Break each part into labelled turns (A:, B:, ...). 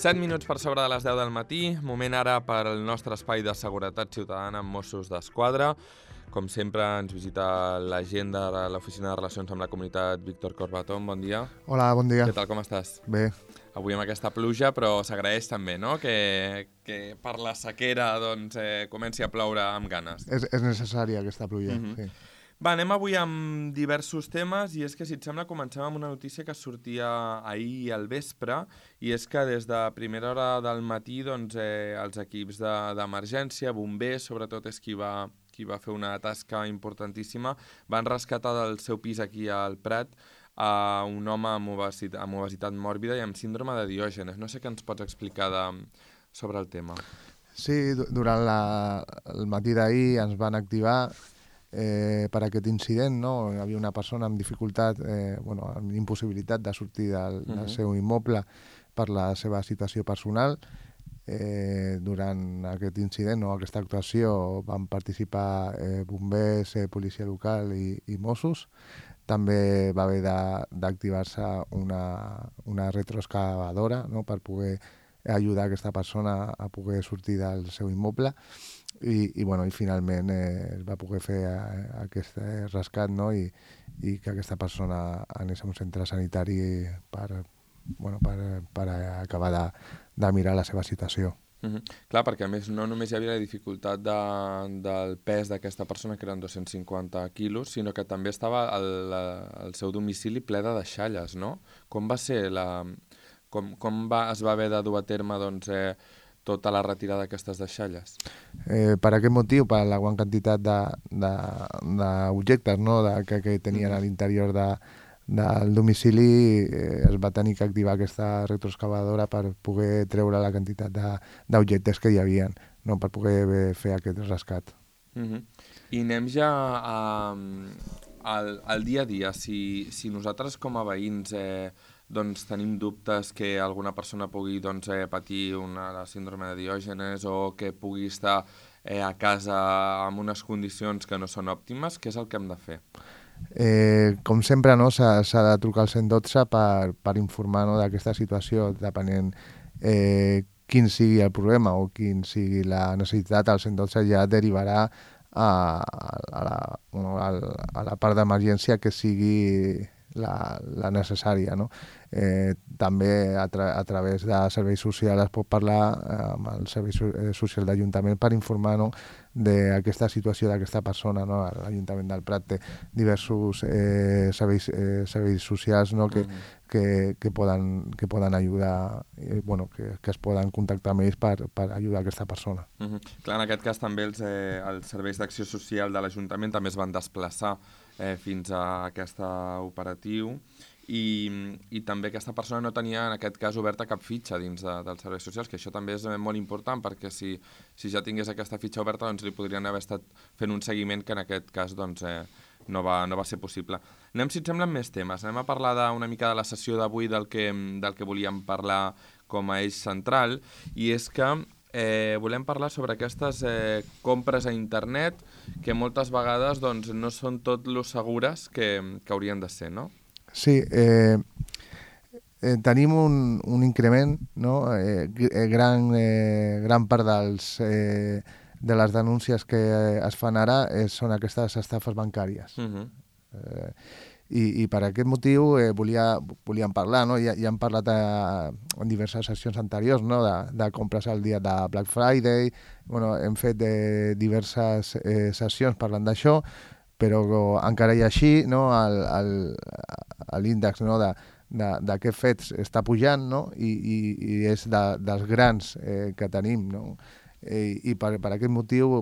A: 7 minuts per sobre de les 10 del matí, moment ara per al nostre espai de seguretat ciutadana amb Mossos d'Esquadra. Com sempre, ens visita l'agenda de l'Oficina de Relacions amb la Comunitat, Víctor Corbatón. Bon dia.
B: Hola, bon dia.
A: Què tal, com estàs?
B: Bé.
A: Avui amb aquesta pluja, però s'agraeix també, no?, que per la sequera doncs, comenci a ploure amb ganes.
B: És necessària aquesta pluja, sí.
A: Va, anem avui amb diversos temes i és que, si et sembla, comencem amb una notícia que sortia ahir al vespre i és que des de primera hora del matí doncs, els equips d'emergència, bombers, sobretot és qui va fer una tasca importantíssima, van rescatar del seu pis aquí al Prat a un home amb obesitat mòrbida i amb síndrome de Diògenes. No sé què ens pots explicar sobre el tema.
B: Sí, durant el matí d'ahir ens van activar per aquest incident, no? Hi havia una persona amb dificultat, amb impossibilitat de sortir del seu immoble per la seva situació personal. Durant aquest incident o aquesta actuació van participar bombers, policia local i Mossos. També va haver d'activar-se una retroexcavadora, no?, per poder ajudar aquesta persona a poder sortir del seu immoble i finalment es va poder fer aquest rescat, no?, i que aquesta persona anés a un centre sanitari per acabar de mirar la seva situació.
A: Clar, perquè a més no només hi havia la dificultat del pes d'aquesta persona, que eren 250 quilos, sinó que també estava el seu domicili ple de deixalles, no? Com va ser es va haver de dur a terme tota la retirada d'aquestes deixalles?
B: Per aquest motiu, per la gran quantitat d'objectes, no?, que tenien a l'interior del domicili, es va tenir que activar aquesta retroexcavadora per poder treure la quantitat d'objectes que hi havia, no?, per poder fer aquest rescat.
A: I anem ja al dia a dia. Si nosaltres com a veïns tenim dubtes que alguna persona pugui patir la síndrome de Diògenes o que pugui estar a casa amb unes condicions que no són òptimes, què és el que hem de fer?
B: Com sempre, no, s'ha de trucar al 112 per informar, no, d'aquesta situació, depenent quin sigui el problema o quin sigui la necessitat. El 112 ja derivarà a la part d'emergència que sigui la necessària, no? També a través de serveis socials es pot parlar amb el servei social d'Ajuntament per informar, no, d'aquesta situació d'aquesta persona, no? L'Ajuntament del Prat té diversos serveis socials, no?, que poden ajudar, que es poden contactar amb ells per ajudar aquesta persona.
A: Clar, en aquest cas també els serveis d'acció social de l'Ajuntament també es van desplaçar fins a aquest operatiu i també aquesta persona no tenia en aquest cas oberta cap fitxa dins dels serveis socials, que això també és molt important perquè si ja tingués aquesta fitxa oberta doncs li podrien haver estat fent un seguiment que en aquest cas no va ser possible. Anem, si et sembla, amb més temes. Anem a parlar una mica de la sessió d'avui del que volíem parlar com a eix central, i és que volem parlar sobre aquestes compres a internet que moltes vegades no són tot lo segures que haurien de ser, no?
B: Sí, tenim un increment, no? Gran part de les denúncies que es fan ara són aquestes estafes bancàries. I per aquest motiu volíem parlar, no? Ja hem parlat en diverses sessions anteriors, no?, de compres al dia de Black Friday. Hem fet diverses sessions parlant d'això, però encara i així, no, l'índex, no, d'aquests fets està pujant, no?, i és dels grans que tenim, no? I per aquest motiu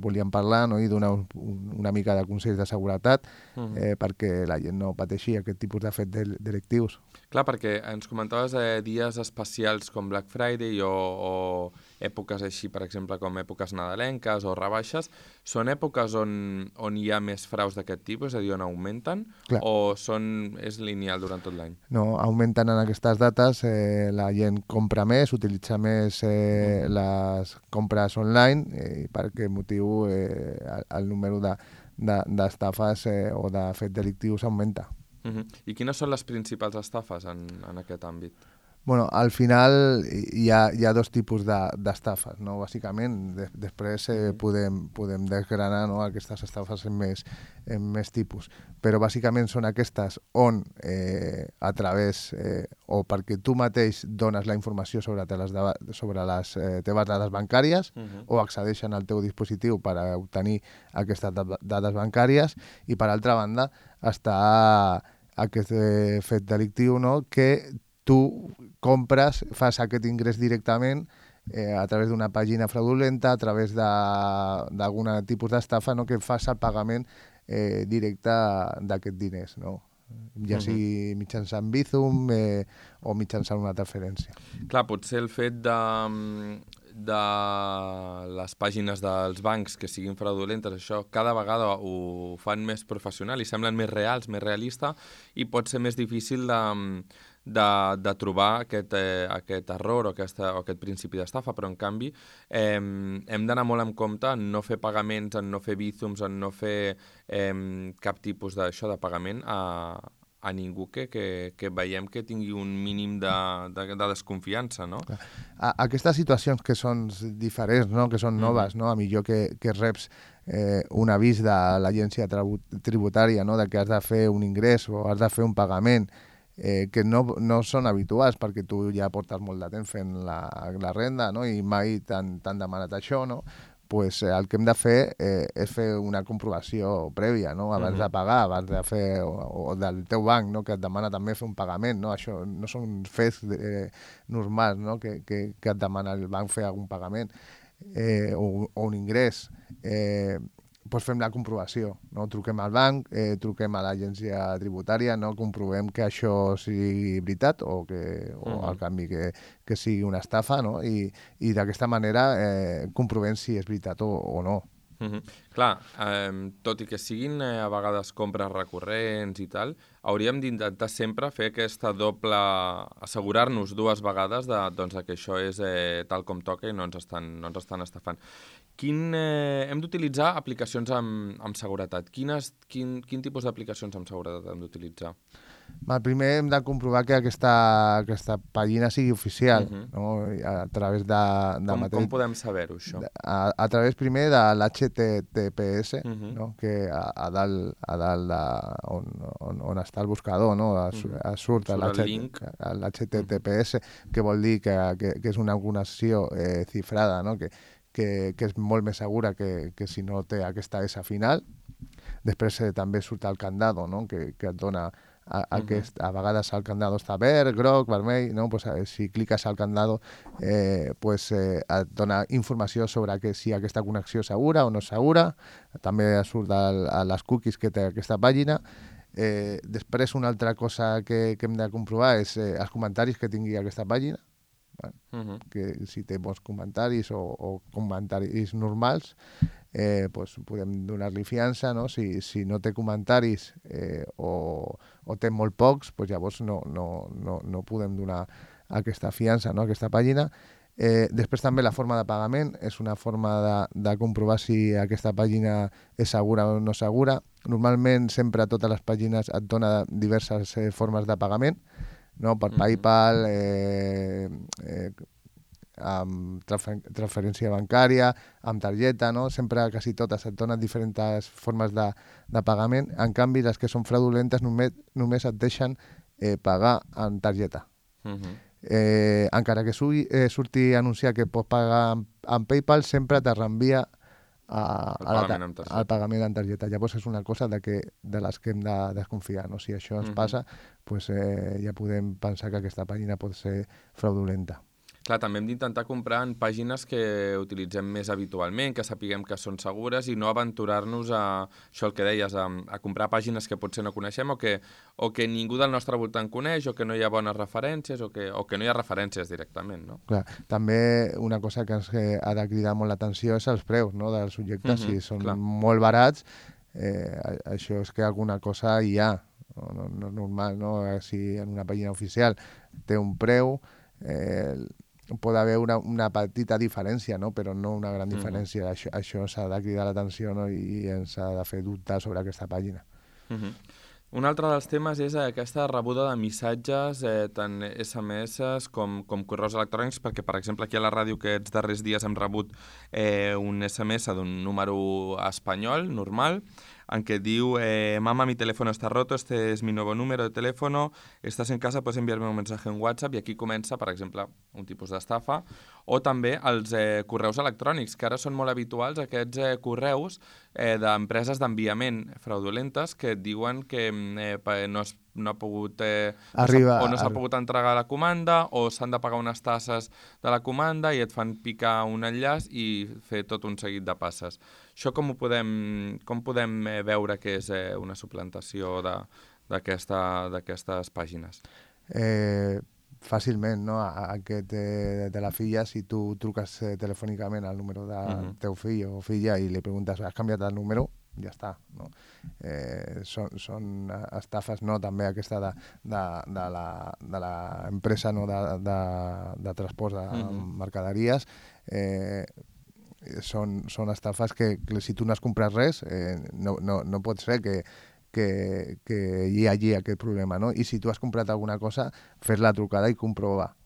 B: volíem parlar, no?, i donar una mica de consells de seguretat perquè la gent no pateixi aquest tipus de fets delictius.
A: Clar, perquè ens comentaves dies especials com Black Friday o èpoques així, per exemple, com èpoques nadalenques o rebaixes. Són èpoques on hi ha més fraus d'aquest tipus, és a dir, on augmenten? Clar. O és lineal durant tot l'any?
B: No, augmenten en aquestes dates, la gent compra més, utilitza més les compres online, i per aquest motiu el número d'estafes o de fets delictius augmenta.
A: I quines són les principals estafes en aquest àmbit?
B: Bueno, al final hi ha dos tipus d'estafes, no? Bàsicament, després podem desgranar, no, aquestes estafes en més tipus. Però bàsicament són aquestes on a través, o perquè tu mateix dones la informació sobre les teves dades bancàries o accedeixen al teu dispositiu per obtenir aquestes dades bancàries, i per altra banda està aquest fet delictiu, no, que tu compres, fas aquest ingrés directament a través d'una pàgina fraudulenta, a través d'algun tipus d'estafa, no, que fas el pagament directe d'aquests diners, no? Ja sigui mitjançant Bizum o mitjançant una transferència.
A: Clar, potser el fet de les pàgines dels bancs que siguin fraudulentes, això cada vegada ho fan més professional i semblen més reals, més realistes, i pot ser més difícil de trobar aquest error o aquest principi d'estafa, però en canvi hem d'anar molt en compte en no fer pagaments, en no fer Bizums, en no fer cap tipus d'això de pagament a ningú que veiem que tingui un mínim de desconfiança, no?
B: Aquestes situacions que són diferents, no? Que són noves, no? A millor que reps un avís de l'agència tributària, no? De que has de fer un ingrés o has de fer un pagament, que no són habituals perquè tu ja portes molt de temps fent la renda, no? I mai t'han demanat això, no? Pues el que hem de fer és fer una comprovació prèvia, no? Abans de pagar, abans de fer, o del teu banc, no? Que et demana també fer un pagament, no? Això no són fets normals, no? Que et demana el banc fer algun pagament o un ingrés. Doncs fem la comprovació, no? Truquem al banc, truquem a l'agència tributària, no? Comprovem que això sigui veritat o al canvi que sigui una estafa, no? I d'aquesta manera comprovem si és veritat o no.
A: Clar, tot i que siguin a vegades compres recurrents i tal, hauríem d'intentar sempre fer aquesta doble, assegurar-nos dues vegades que això és tal com toca i no ens estan estafant. Hem d'utilitzar aplicacions amb seguretat. Quin tipus d'aplicacions amb seguretat hem d'utilitzar?
B: Primer hem de comprovar que aquesta pàgina sigui oficial, no? A través de
A: Com podem saber-ho, això?
B: A través primer de l'HTTPS, no? Que a dalt on està el buscador, no? Surt l'HTTPS, que vol dir que és una connexió cifrada, no? Que és molt més segura que si no té aquesta S final. Després també surt el candado, no? Que et dona a vegades el candado està verd, groc, vermell, no? Pues, si cliques al candado et dona informació sobre si aquesta connexió és segura o no és segura. També surt a les cookies que té aquesta pàgina. Després una altra cosa que hem de comprovar és els comentaris que tingui aquesta pàgina. Que si té bons comentaris o comentaris normals, pues podem donar-li fiança, no? Si no té comentaris o té molt pocs, pues llavors no podem donar aquesta fiança, no? Aquesta pàgina. Després també la forma de pagament és una forma de comprovar si aquesta pàgina és segura o no segura. Normalment sempre a totes les pàgines et dona diverses formes de pagament, no? Per PayPal, amb transferència bancària, amb targeta, no? Sempre, quasi totes, et donen diferents formes de pagament. En canvi, les que són fraudulentes només et deixen pagar amb targeta. Encara que surti anunciar que pots pagar amb PayPal, sempre te reenvia al pagament en targeta. Llavors és una cosa de les que hem de desconfiar, no? Si això ens passa, pues, ja podem pensar que aquesta pàgina pot ser fraudulenta.
A: Clar, també hem d'intentar comprar en pàgines que utilitzem més habitualment, que sapiguem que són segures i no aventurar-nos a, això el que deies, a comprar pàgines que potser no coneixem o que ningú del nostre voltant coneix o que no hi ha bones referències o que no hi ha referències directament, no?
B: Clar, també una cosa que ens ha de cridar molt l'atenció és els preus, no? Dels subjectes. Si són molt barats, això és que alguna cosa hi ha, no és normal, no? Si en una pàgina oficial té un preu, pot haver una petita diferència, no? Però no una gran diferència. Això s'ha de cridar l'atenció, no? I ens ha de fer dubtar sobre aquesta pàgina.
A: Un altre dels temes és aquesta rebuda de missatges, tant SMS com correus electrònics, perquè, per exemple, aquí a la ràdio aquests darrers dies hem rebut un SMS d'un número espanyol, normal, en què diu, mama, mi teléfono está roto, este es mi nuevo número de teléfono, estás en casa, puedes enviarme un mensaje en WhatsApp, i aquí comença, per exemple, un tipus d'estafa, o també els correus electrònics, que ara són molt habituals, aquests correus d'empreses d'enviament fraudulentes que et diuen que no ha pogut, no s'ha pogut entregar la comanda o s'han de pagar unes tasses de la comanda i et fan picar un enllaç i fer tot un seguit de passes. Això com podem veure que és una suplantació d'aquestes pàgines?
B: Fàcilment, no? Aquest de la filla, si tu truques telefònicament al número del teu fill o filla i li preguntes, has canviat el número? Ja està, no? Són estafes, no? També aquesta de l'empresa, no? de transport de mercaderies, són estafes que si tu no has comprat res, no pot ser que hi hagi aquest problema, no? I si tu has comprat alguna cosa, fes la trucada i comprova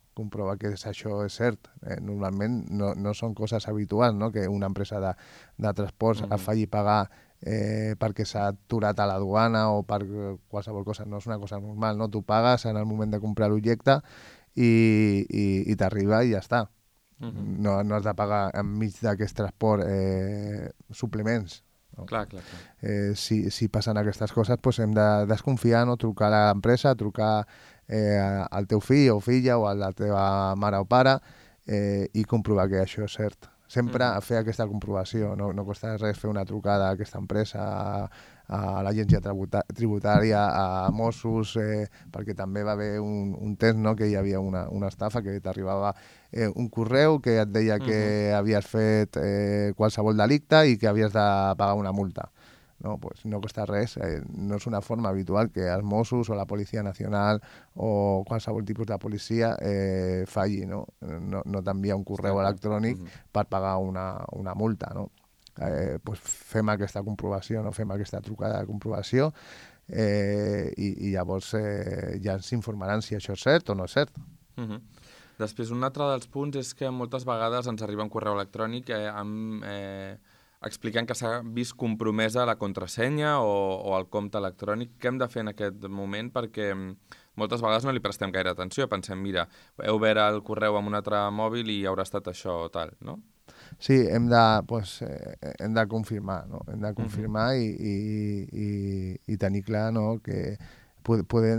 B: que això és cert. Normalment no són coses habituals, no? Que una empresa de transports et faci pagar perquè s'ha aturat a la duana o per qualsevol cosa. No és una cosa normal, no? Tu pagues en el moment de comprar l'objecte i t'arriba i ja està. No has de pagar enmig d'aquest transport suplements. No?
A: Clar.
B: Si passen aquestes coses, doncs hem de desconfiar, no? Trucar a l'empresa, trucar al teu fill o filla o a la teva mare o pare i comprovar que això és cert. Sempre fer aquesta comprovació, no costa res fer una trucada a aquesta empresa, a l'agència tributària, a Mossos, perquè també va haver un temps, no? Que hi havia una estafa, que t'arribava un correu que et deia que havies fet qualsevol delicte i que havies de pagar una multa. No, pues no costa res, no és una forma habitual que els Mossos o la Policia Nacional o qualsevol tipus de policia falli, no? No t'envia un correu electrònic per pagar una multa, no? Pues fem aquesta comprovació, no? Fem aquesta trucada de comprovació i llavors ja ens informaran si això és cert o no és cert.
A: Després, un altre dels punts és que moltes vegades ens arriba un correu electrònic explicant que s'ha vist compromesa la contrasenya o el compte electrònic. Què hem de fer en aquest moment? Perquè moltes vegades no li prestem gaire atenció. Pensem, mira, heu obert el correu amb un altre mòbil i haurà estat això o tal, no?
B: Sí, hem de confirmar, no? Hem de confirmar i tenir clar, no? Que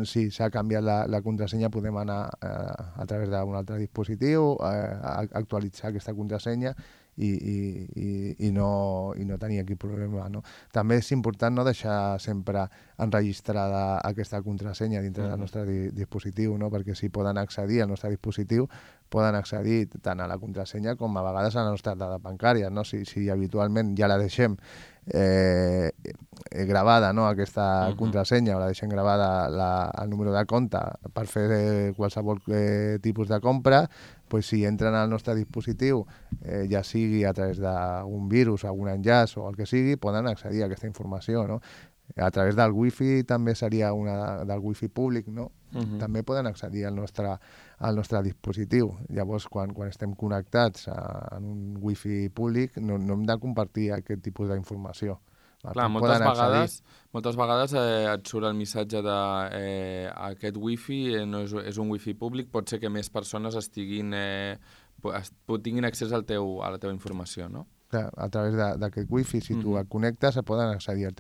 B: si s'ha canviat la contrasenya, podem anar a través d'un altre dispositiu, actualitzar aquesta contrasenya i no tenir aquí problema, no? També és important no deixar sempre enregistrada aquesta contrasenya dintre del nostre dispositiu, no? Perquè si poden accedir al nostre dispositiu, poden accedir tant a la contrasenya com a vegades a les nostres dades bancàries, no? Si habitualment ja la deixem gravada, no? Aquesta contrasenya, o la deixem gravada el número de compte per fer qualsevol tipus de compra, pues si entren al nostre dispositiu, ja sigui a través d'un virus, algun enllaç o el que sigui, poden accedir a aquesta informació, no? A través del wifi també seria del wifi públic, no? També poden accedir al nostre dispositiu. Llavors, quan estem connectats en un wifi públic, no hem de compartir aquest tipus d'informació.
A: Clar, moltes vegades et surt el missatge de aquest wifi no és un wifi públic, pot ser que més persones tinguin accés a la teva informació, no?
B: A través d'aquest wifi, si tu et connectes, poden accedir al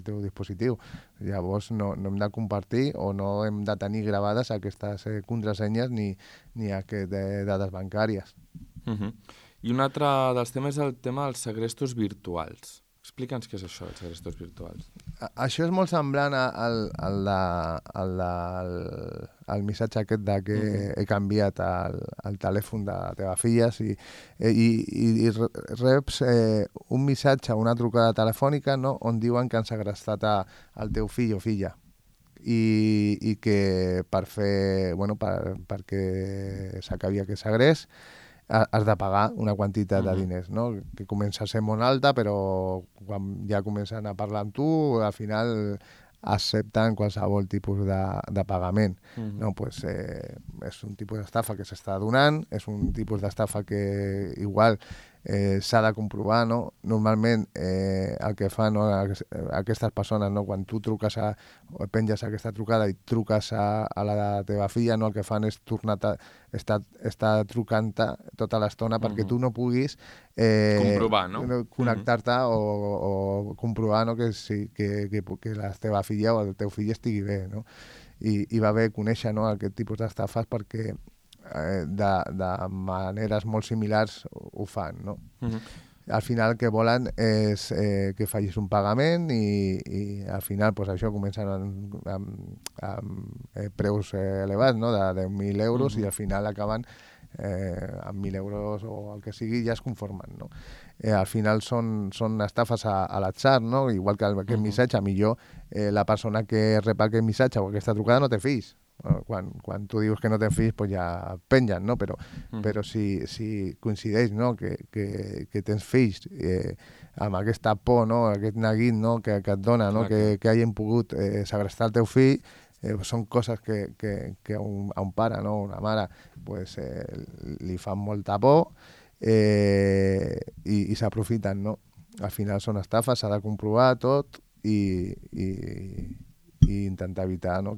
B: teu dispositiu. Llavors no hem de compartir o no hem de tenir gravades aquestes contrasenyes ni aquestes dades bancàries.
A: I un altre dels temes és el tema dels segrestos virtuals. Explica'ns què és això, els segrestos virtuals.
B: Això és molt semblant al missatge aquest que he canviat el telèfon de la teva filla i reps un missatge, una trucada telefònica, no? On diuen que han segrestat el teu fill o filla i que perquè s'acabi aquest segrest has de pagar una quantitat de diners, no? Que comença a ser molt alta, però quan ja comencen a parlar amb tu, al final accepten qualsevol tipus de pagament. No? Pues, és un tipus d'estafa que s'està donant, és un tipus d'estafa que igual s'ha de comprovar, no? Normalment el que fan aquestes persones, no? Quan tu truques o penges aquesta trucada i truques a la teva filla, no? El que fan és estar trucant-te tota l'estona perquè tu no puguis
A: comprovar, no?
B: connectar-te o comprovar, no? que la teva filla o el teu fill estigui bé, no? I va bé conèixer, no? Aquest tipus d'estafes perquè de maneres molt similars ho fan, no? Al final el que volen és que facis un pagament i al final pues, això comencen amb preus elevats, no? De 10.000 euros i al final acaben amb 1.000 euros o el que sigui ja es conformen, no? Al final són estafes a l'atzar, no? Igual que aquest missatge, millor la persona que rep aquest missatge o aquesta trucada no té fills. Quan tu dius que no tens fills, pues ja pengen, no? Però si coincideix, no? que tens fills amb aquesta por, no? Aquest neguit, no? que et dona, no? que hagin pogut segrestar el teu fill, són coses que a un pare, no? Una mare, pues, li fan molta por i s'aprofiten, no? Al final són estafes, s'ha de comprovar tot i intentar evitar, no?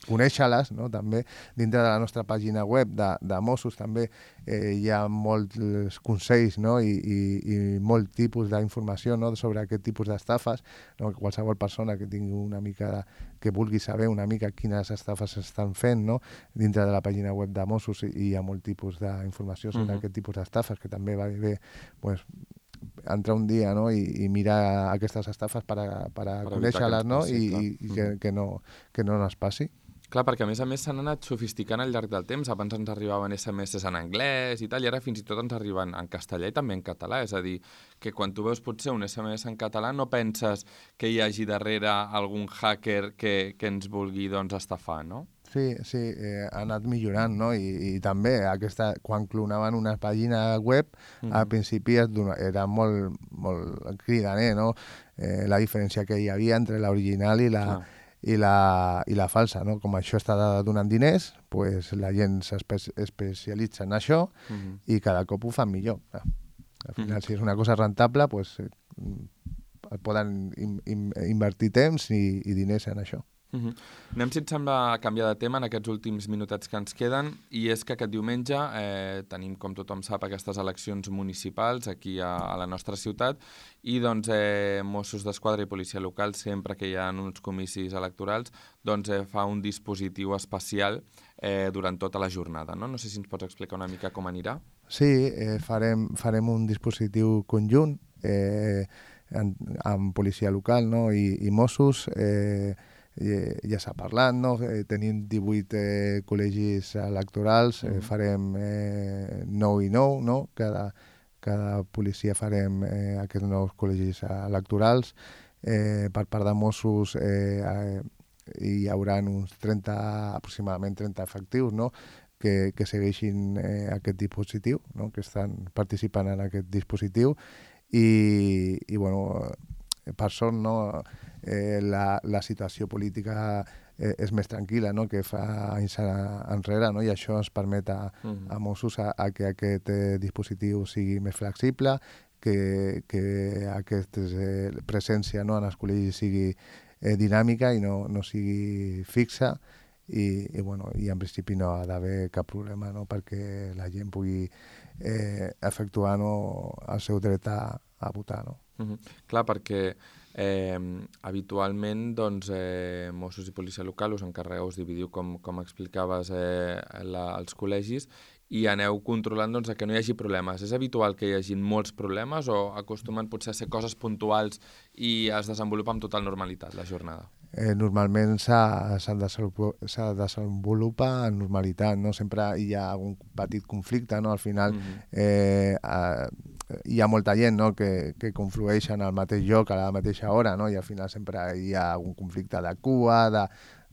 B: Conèixer-les, no? També dintre de la nostra pàgina web de Mossos també hi ha molts consells, no? I molt tipus d'informació, no? Sobre aquest tipus d'estafes, no? Qualsevol persona que tingui una mica que vulgui saber una mica quines estafes s'estan fent, no? Dintre de la pàgina web de Mossos hi ha molt tipus d'informació sobre aquest tipus d'estafes, que també va bé pues, entrar un dia, no? I mirar aquestes estafes per conèixer-les, no? I que no es passi.
A: Clar, perquè a més s'han anat sofisticant al llarg del temps. Abans ens arribaven SMS en anglès i tal, i ara fins i tot ens arriben en castellà i també en català. És a dir, que quan tu veus potser un SMS en català no penses que hi hagi darrere algun hacker que ens vulgui doncs, estafar, no?
B: Sí, ha anat millorant, no? I també quan clonaven una pàgina web, al principi era molt, molt cridaner, no? La diferència que hi havia entre l'original i la falsa, no? Com això està donant diners, pues la gent s'especialitza en això i cada cop ho fan millor. Al final, si és una cosa rentable, pues, poden invertir temps i diners en això.
A: Anem, si et sembla, a canviar de tema en aquests últims minutets que ens queden, i és que aquest diumenge tenim, com tothom sap, aquestes eleccions municipals aquí a la nostra ciutat, i doncs Mossos d'Esquadra i Policia Local, sempre que hi ha uns comicis electorals, doncs fa un dispositiu especial durant tota la jornada, no? No sé si ens pots explicar una mica com anirà.
B: Sí, farem un dispositiu conjunt amb Policia Local, no? I Mossos. Ja s'ha parlat, no? Tenim 18 col·legis electorals, farem 9 i 9, no? Cada policia farem aquests nous col·legis electorals. Per part de Mossos hi haurà uns aproximadament 30 efectius, no? que segueixin aquest dispositiu, no? Que estan participant en aquest dispositiu i bueno, per sort, no? La situació política és més tranquil·la, no? Que fa anys enrere, no? I això ens permet a Mossos que aquest dispositiu sigui més flexible, que aquesta presència, no? En els col·legis sigui dinàmica i no sigui fixa i en principi no ha d'haver cap problema, no? Perquè la gent pugui efectuar, no? El seu dret a votar, no?
A: Clar, perquè habitualment doncs, Mossos i Policia Local us encarregueu, us dividiu, com explicaves, els col·legis i aneu controlant doncs, que no hi hagi problemes. És habitual que hi hagi molts problemes o acostumen potser a ser coses puntuals i es desenvolupa amb total normalitat la jornada?
B: Normalment s'ha desenvolupa en normalitat, no? Sempre hi ha algun petit conflicte, no? Al final hi ha molta gent, no? que conflueix en el mateix lloc a la mateixa hora, no? I al final sempre hi ha algun conflicte de cua,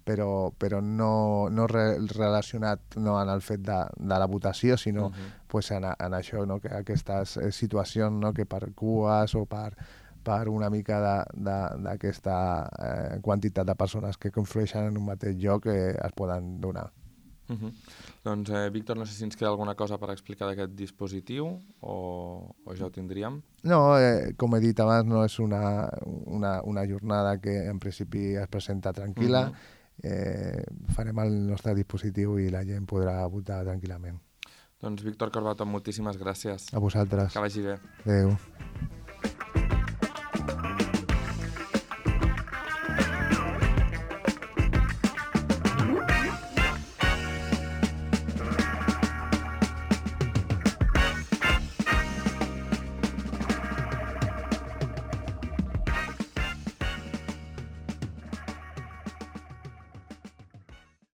B: però no relacionat, no, en el fet de la votació, sinó pues, en això, no? Que aquestes situacions, no? Que per cues o per per una mica d'aquesta quantitat de persones que conflueixen en un mateix lloc es poden donar.
A: Doncs, Víctor, no sé si ens queda alguna cosa per explicar d'aquest dispositiu o ja ho tindríem.
B: No, com he dit abans, no és una jornada que en principi es presenta tranquil·la. Farem el nostre dispositiu i la gent podrà votar tranquil·lament.
A: Doncs, Víctor Corbato, moltíssimes gràcies.
B: A vosaltres.
A: Que vagi bé.
B: Adéu.